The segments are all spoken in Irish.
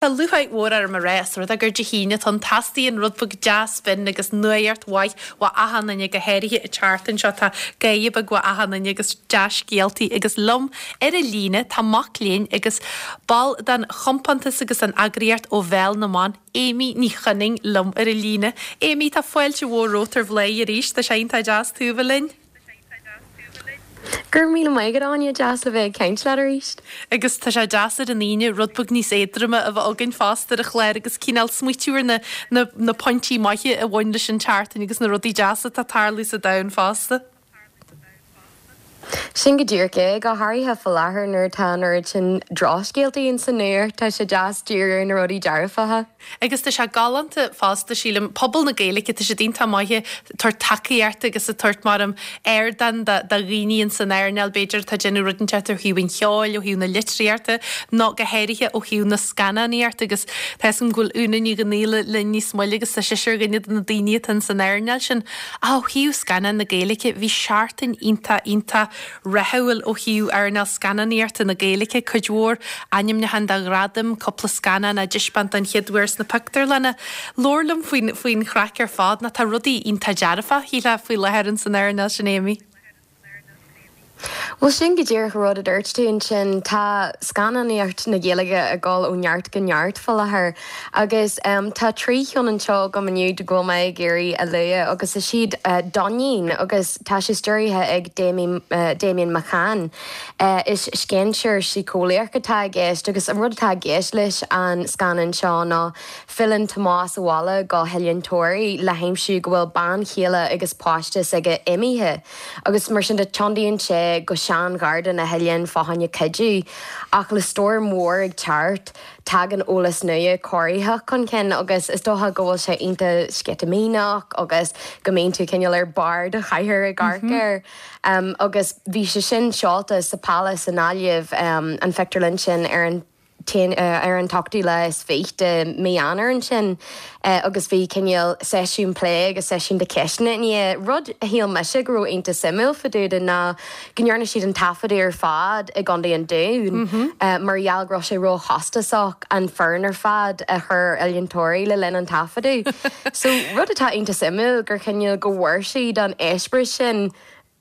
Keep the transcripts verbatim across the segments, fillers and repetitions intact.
Tá lúcháir mhór orm a rá is rud é gur Dé hAoine atá ann teastaíonn rud beag deas binn agus nuacht mhaith ó achan duine go háirithe an tseachtain seo tá gáire beag ó achan duine agus dea-scéaltaí agus liom ar an líne tá mac léinn agus ball den chompántas agus an eagraíocht Ó Bhéal na mBan Amy Ní Chuininn liom ar an líne. Amy tá fáilte mhór romhat ar Bhladhaire arís tá sé iontach deas tú bheith linn. Gur mí mai go áine deas le bheith ag caint leat arís. Agus tá sé deas ar an Aoine rud beag níos éadroime a bheith againn fosta ar an chlár agus cineál smaoitiú ar na, na, na pointí maithe a bhain leis an tseachtain agus na rudaí deasa atá ag tarlú sa domhan fosta. Sin go díreach é go háirithe faoi láthair nuair atá an oiread sin drochscéaltaí in san nuacht tá sé deas díriú ar na rudaí dearfacha. Agus tá sé galánta fosta sílim pobal na Gaeilge tá siad iontach maith ag tabhairt tacaíocht agus ag tabhairt mar am ardán do dhaoine in san earnáil b'fhéidir atá ag déanamh rud inteacht ó thaobh an cheoil ó thaobh na litríochta nó go háirithe ó thaobh na scannánaíochta agus tá a fhios agam go bhfuil Úna Ní Ghnaíle linn níos moille agus tá sise ar dhuine de na daoine atá in san earnáil sin. Ó thaobh scannán na Gaeilge bhí seachtain iontach iontach rathúil ó thaobh earnáil scannánaíochta na Gaeilge cuid mhór ainmniúchán do ghradaim cúpla scannán á dtaispeáint den chéad uair sna pictiúrlanna. Labhair liom faoin faoin chraic ar fad ná tá rudaí iontach dearfa shílfeá faoi láthair in san earnáil sin Amy. Well sin go díreach rud a dúirt tú ansin tá scannánaíocht na Gaeilge ag dul ó neart go neart faoi láthair agus um, tá trí cheann anseo agam inniu go bhfuil mé ag iarraidh a lua agus is iad uh, Doinín agus tá sé stiúrtha ag Damien, uh, Damien McCann. Uh, is scéinséir síceolaíoch atá i gceist agus an rud atá i gceist leis an scannán seo ná filleann Tomás abhaile go hOileán Toraí le haimsiú go bhfuil bean chéile agus páiste aige imithe agus mar sin de tiontaíonn sé go seangharda na hoileáin fá choinne cuidiú ach le stoirm mhór ag teacht tagann eolas nua corraitheach chun cinn agus is dócha go bhfuil sé iontach sceitimíneach agus go mbíonn tú cineál ar barr do chathair ag amharc air. Um, agus bhí sé sin seolta sa Palace i nGaillimh um, an phictiúrlann sin ar an uh, ar an t-ochtú lá is fiche de mí Eanáir ansin uh, agus bhí cineál seisiún plé agus seisiún de ceisteanna ní rud a shíl mise go raibh iontach suimiúil fá dtaobh de ná go ndearna siad an taifeadadh ar fad i gContae an Dúin mm -hmm. uh, mar gheall go raibh sé róchostasach an foireann ar fad a chur Oileán Toraí le linn an taifeadadh. so rud atá iontach suimiúil gur cineál go bhfuair siad an eispéireas sin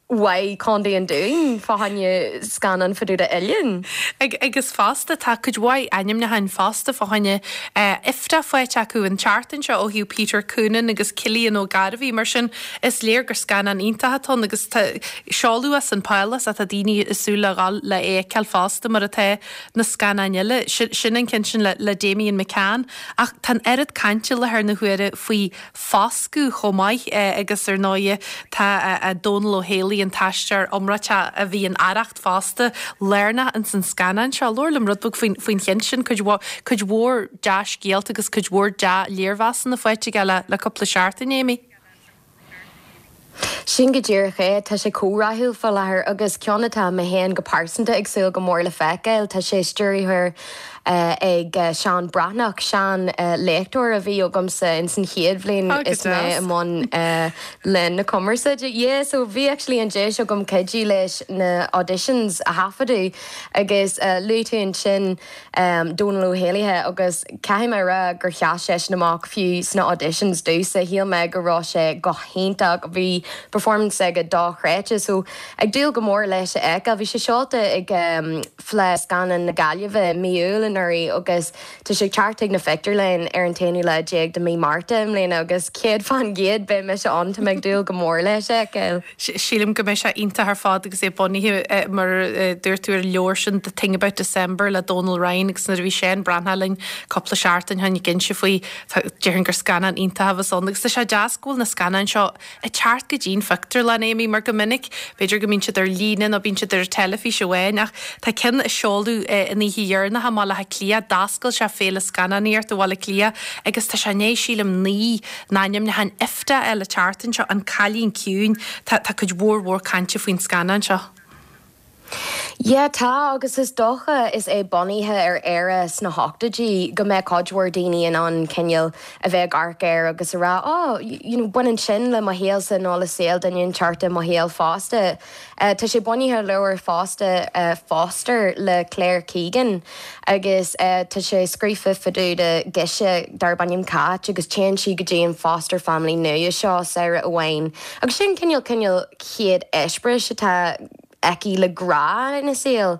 uaidh Contae an Dúin fá choinne scannán fá dtaobh d'oileán. Ag agus fosta tá cuid mhaith ainmniúcháin fosta fá choinne IFTA faighte acu an tseachtain seo ó thaobh Peter Coonan agus Cillian Ó Gairbhí mar sin is léir gur scannán iontach atá ann agus seoladh as an Palace atá daoine ag súil le dhul le é a fheiceáil fosta mar atá na scannáin eile sin an ceann sin le, le Damien McCann ach tá an oiread cainte i láthair na huaire faoi Foscadh chomh maith agus ar ndóigh tá Dónal Ó Héalaí an t-aisteoir iomráiteach a bhí in Arracht fosta lárnach ins an scannán seo. Labhair liom rud beag faoin faoin cheann sin cuid cuid mhór dea-scéalta agus cuid mhór dea-léirmheasanna faighte aige le le cúpla seachtain Amy. Sin go díreach é tá sé chomh rathúil faoi láthair agus ceann atá mé féin go pearsanta ag súil go mór le feiceáil tá sé stiúrtha uh, ag uh, Seán Breathnach sean uh, léachtóir a bhí agamsa in san chéad bhliain is mé i mbun uh, le na cumarsáide. Yeah, so bhí actually an deis agam cuidiú leis na auditions a thaifeadadh agus uh, luaigh tú ansin um, Dónal Ó Héalaí agus caithfidh mé rá gur sheas sé amach fiú sna auditions domsa shíl mé go raibh sé go hiontach bhí performance aige dochreidte so ag dúil go mór leis a fheiceáil bhí sé seolta ag um, Fleadh Scannán na Gaillimhe mí Iúil anuraidh agus tá sé teacht chuig na pictiúrlanna ar an t-aonú lá déag de mí Márta i mbliana agus céad faoin gcéad beidh mise ann tá mé ag dúil go mór leis a fheiceáil. Sílim go mbeidh sé iontach ar fad agus é bunaithe mar dúirt tú ar leabhar sin The Thing About December le Donal Ryan agus nuair a bhí Seán Breathnach linn cúpla seachtain ó shin ag inse faoi déarfainn gur scannán iontach a bheas ann agus tá sé deas go bhfuil na scannáin seo ag teacht go dtí an phictiúrlann Amy mar go minic b'fhéidir go mbíonn siad ar líne nó bíonn siad ar teilifís amháin ach tá ceann a seoladh an oíche dheireanach i mBaile Átha Cliath d'oscail sé féile scannánaíochta Bhaile Átha Cliath agus tá sé né sílim naoi n-ainmniúchán IFTA eile tseachtain seo an Cailín Ciúin tá tá cuid mhór mhór cainte faoin scannán seo. Yeah tá agus is dócha is é bunaithe ar Éire sna hochtóidí go mbeidh cuid mhór daoine in ann cineál a bheith ag amharc air agus a rá oh you know baineann sin le mo shaolsa nó le saol duine inteacht i mo shaol fosta. Uh, tá sé bunaithe ar leabhar fosta uh, Foster le Claire Keegan agus uh, tá sé scríofa fá dtaobh de ghirseach darb ainm Cáit agus téann sí go dtí an foster family nua seo samhradh amháin. Agus sin cineál cineál chéad eispéireas atá aici le grá ina saol.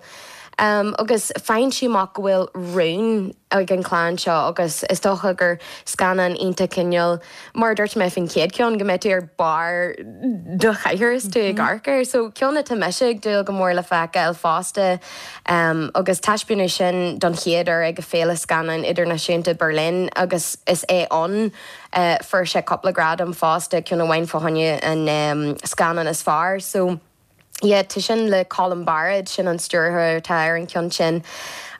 Um, agus faigheann sí amach go bhfuil rún ag an chlann seo agus is dócha gur scannán iontach cineál mar dúirt mé faoin chéad cheann go mbeidh tú ar barr do chathaoir is tú ag amharc air, so ceann atá mise ag dúil go mór le feiceáil fosta um, agus taispeánadh sin don chéad uair ag an Féile Scannán Idirnáisiúnta Berlin agus is é an uh, fuair sé cúpla gradam fosta ceann amháin fá choinne an um, scannán is fearr, so Yeah, tá sin le Colm Bairéad sin an stiúrthóir atá ar an ceann sin.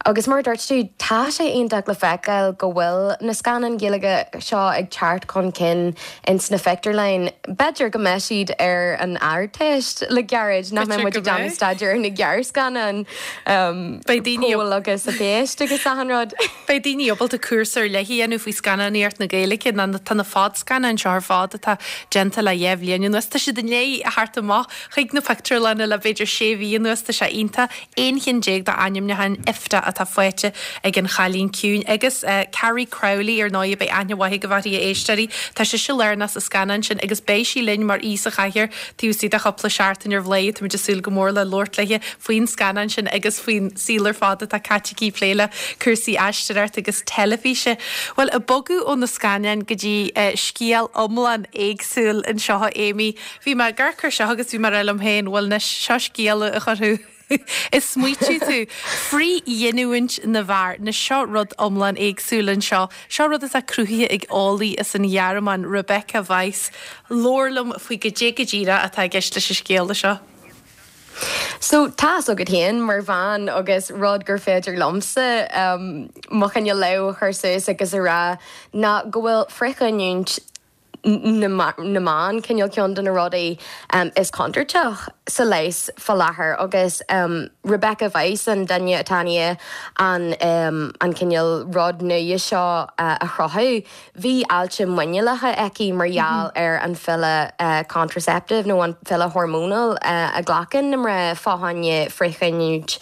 Agus mar dúirt tú tá sé iontach le feiceáil go bhfuil na scannáin Ghaeilge seo ag teacht chun cinn in sna pictiúrlanna. B'fhéidir go mbeidh siad ar an Ardteist le gairid nach mbeidh muid ag déanamh staidéar na gearrscannán Beidh daoine Pól agus a phéist agus achan rud. Beidh daoine ábalta cúrsa ar leith a dhéanamh faoi scannánaíocht na Gaeilge na tá na fadscannáin seo ar fad atá déanta le dhá bhliain anuas. Tá siad i ndiaidh a theacht amach chuig na pictiúrlanna le b'fhéidir sé mhí anuas tá sé iontach aon cheann déag d'ainmniúcháin IFTA atá faighte ag an Chailín Ciúin agus uh, Carrie Crowley ar ndóigh beidh aithne mhaith ag a éisteoirí Tá sise lárnach sa scannán sin agus beidh sí linn mar aoi sa chathaoir taobh istigh de chúpla seachtain ar Bhladhaire Tá súil go mór le labhairt léi faoin scannán sin agus faoin saol ar fad atá caite aici ag plé le cúrsaí aisteoireachta agus teilifíse. Well ag bogadh ó na scannáin go dtí uh, scéal iomlán éagsúil anseo Amy. Bhí mé ag amharc air seo agus bhí mé liom féin bhfuil na seo scéal a chuirfeadh ag smaoitiú tú frithghiniúint na bhfear na seo rud iomlán éagsúil anseo, seo rud atá cruthaithe ag eolaí as an Ghearmáin Rebecca Weiss, Labhair liom faoi goidé go díreach atá i gceist leis an scéal seo. So tá agat féin mar bhean agus rud gur féidir liomsa um, mo chineál lámh a chur suas agus a rá ná go bhfuil frithghiniúint na mban cineál ceann de na rudaí um, is contúirteach sa leigheas faoi láthair agus um, Rebecca Weiss an duine atá an um, an cineál rud nua seo uh, a chruthú. Bhí ailse muineálacha aici mar gheall mm -hmm. ar an phiolla uh, contraceptive nó an phiolla hormonal uh, a ghlacann na mná fá choinne frithghiniúint.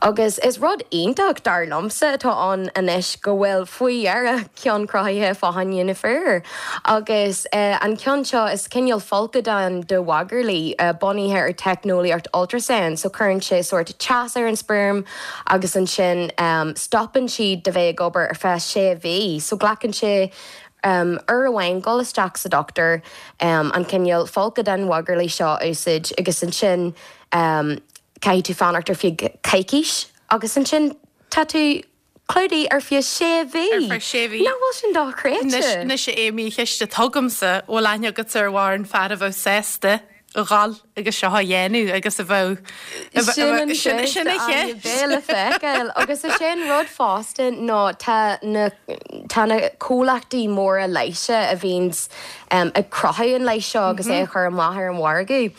Agus is rud iontach dar liomsa atá an anois go bhfuil faoi dheireadh ceann cruthaithe fá choinne na bhfear. Agus uh, an ceann seo is cineál folcadán de mhagairlí uh, bunaithe ar teicneolaíocht ultrasound, so cuireann sé sort teas ar an sperm agus ansin um, stopann siad de bheith ag obair ar feadh sé mhí, so glacann sé um, uair amháin dul isteach sa doctor um, an cineál folcadán mhagairlí seo úsáid agus ansin um, caithfidh tú fanacht ar feadh coicís agus ansin tá tú clúdaithe ar feadh sé mhí. Ar feadh sé mhí. Nach bhfuil sin dochreidte. Anois Amy ceist atá agamsa bhfuil aithne agat ar mhórán fear a bheadh sásta a dhul agus seo a dhéanamh agus a bheadh sin sin a le feiceáil agus is sin rud fosta ná tá na tá na comhlachtaí móra leighis a bhíonns um, ag cruthú an leigheas seo agus é a chur amach ar an mhargadh.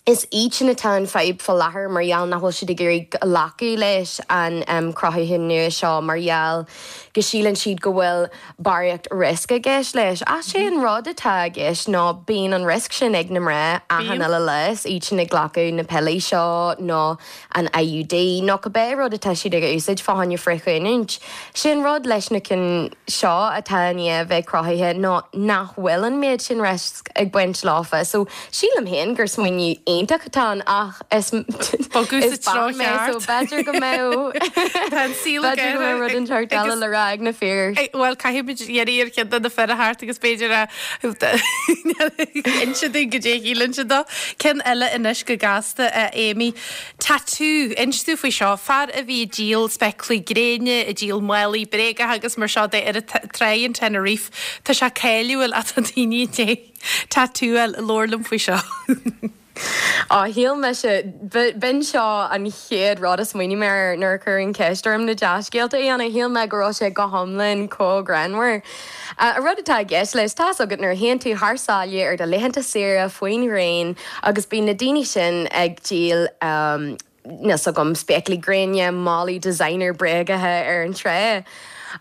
Is iad sin atá an fadhb faoi láthair mar gheall nach bhfuil siad ag iarraidh glacadh leis an um, cruthú nua seo mar gheall go síleann siad go bhfuil barraíocht riosca i gceist leis. Ach sé an rud atá i gceist ná bíonn an riosca sin ag na mná achan uile lá iad sin ag glacadh na piollaí seo nó an IUD nó cibé rud atá siad ag úsáid fá choinne frithghiniúint. Sin rud leis na cinn seo atá i ndiaidh bheith cruthaithe ná nach bhfuil an méid sin riosca ag baint leofa, so sílim féin gur smaoineamh iontach atá ann ach is Bogadh sa treo so b'fhéidir go mbeadh B'fhéidir go mbeadh rud inteacht eile le rá ag na fir. Well caithfimid iarraidh ar cheann de na fir a theacht agus b'fhéidir a inse dúinn goidé a shíleann siad dó. Ceann eile anois go gasta Amy. Tatú inis dúinn faoi seo fear a bhí ag díol spéaclaí gréine, ag díol málaí bréagacha agus mar seo de ar trá in Tenerife. Tá sé cáiliúil ach tá daoine tatú labhair liom faoi seo. Á shíl mise b'in seo an chéad rud a smaoinigh mé air nuair a cuireadh an cheist orm na dea-scéalta a dhéanamh shíl mé go raibh sé go hiomlán chomh greannmhar. A rud atá i gceist leis tá agat nuair a théann tú thar sáile ar do laethanta saoire faoin ghréin agus bíonn na daoine sin ag díol um, níl a fhios agam spéaclaí gréine, málaí designer bréagaithe ar an trá.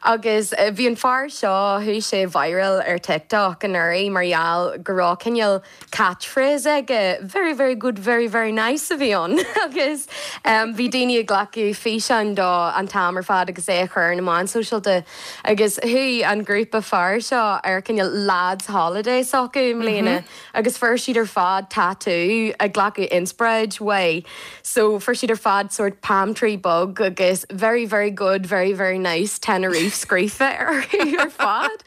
Agus bhí an fear seo, chuaigh sé viral ar TikTok anuraidh mar gheall go raibh cineál catchphrase aige, very very good, very very nice a bhí ann agus bhí daoine ag glacadh físeáin dó an t-am ar fad agus é a chur ar na meáin sóisialta agus chuaigh an grúpa fear seo ar cineál lads holiday s'acu i mbliana agus fuair siad ar fad tatú ag glacadh inspioráid uaidh so fuair siad ar fad sort palm tree bog agus very very good, very very nice Tenerife scríofa orthu ar fad.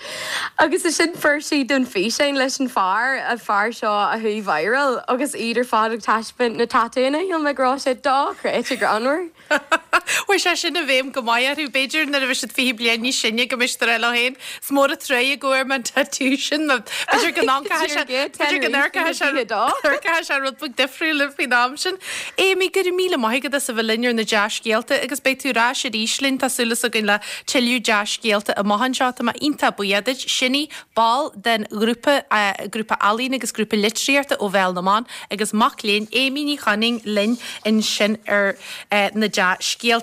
Agus ansin fuair siad an físeán leis an fear, an fear seo a chuaigh viral agus iad ar fad ag taispeáint na tatúnna, shíl mé go raibh sé dochreidte greannmhar. Chuaigh sé sin i bhfeidhm go maith orthu, b'fhéidir nuair a bheidh siad fiche bliain níos sine go mbeidh siad ag rá leo féin, is mór an truaighe go bhfuair mé an tatú sin, nó b'fhéidir go n-amharcfaidh sé, b'fhéidir go n-amharcfaidh sé, amharcfaidh sé rud beag difriúil faoin am sin. Amy, go raibh míle maith agat as a bheith linn ar na dea-scéalta agus beidh tú ar ais arís linn, tá súil againn le tuilleadh dea-scéalta amach anseo. Tá mé iontach buíoch duit. Sin í ball den ghrúpa, grúpa ealaíon agus grúpa litríochta ó Bhéal na mBan agus mac léinn Amy Ní Chonaing linn ansin ar na dea-scéalta.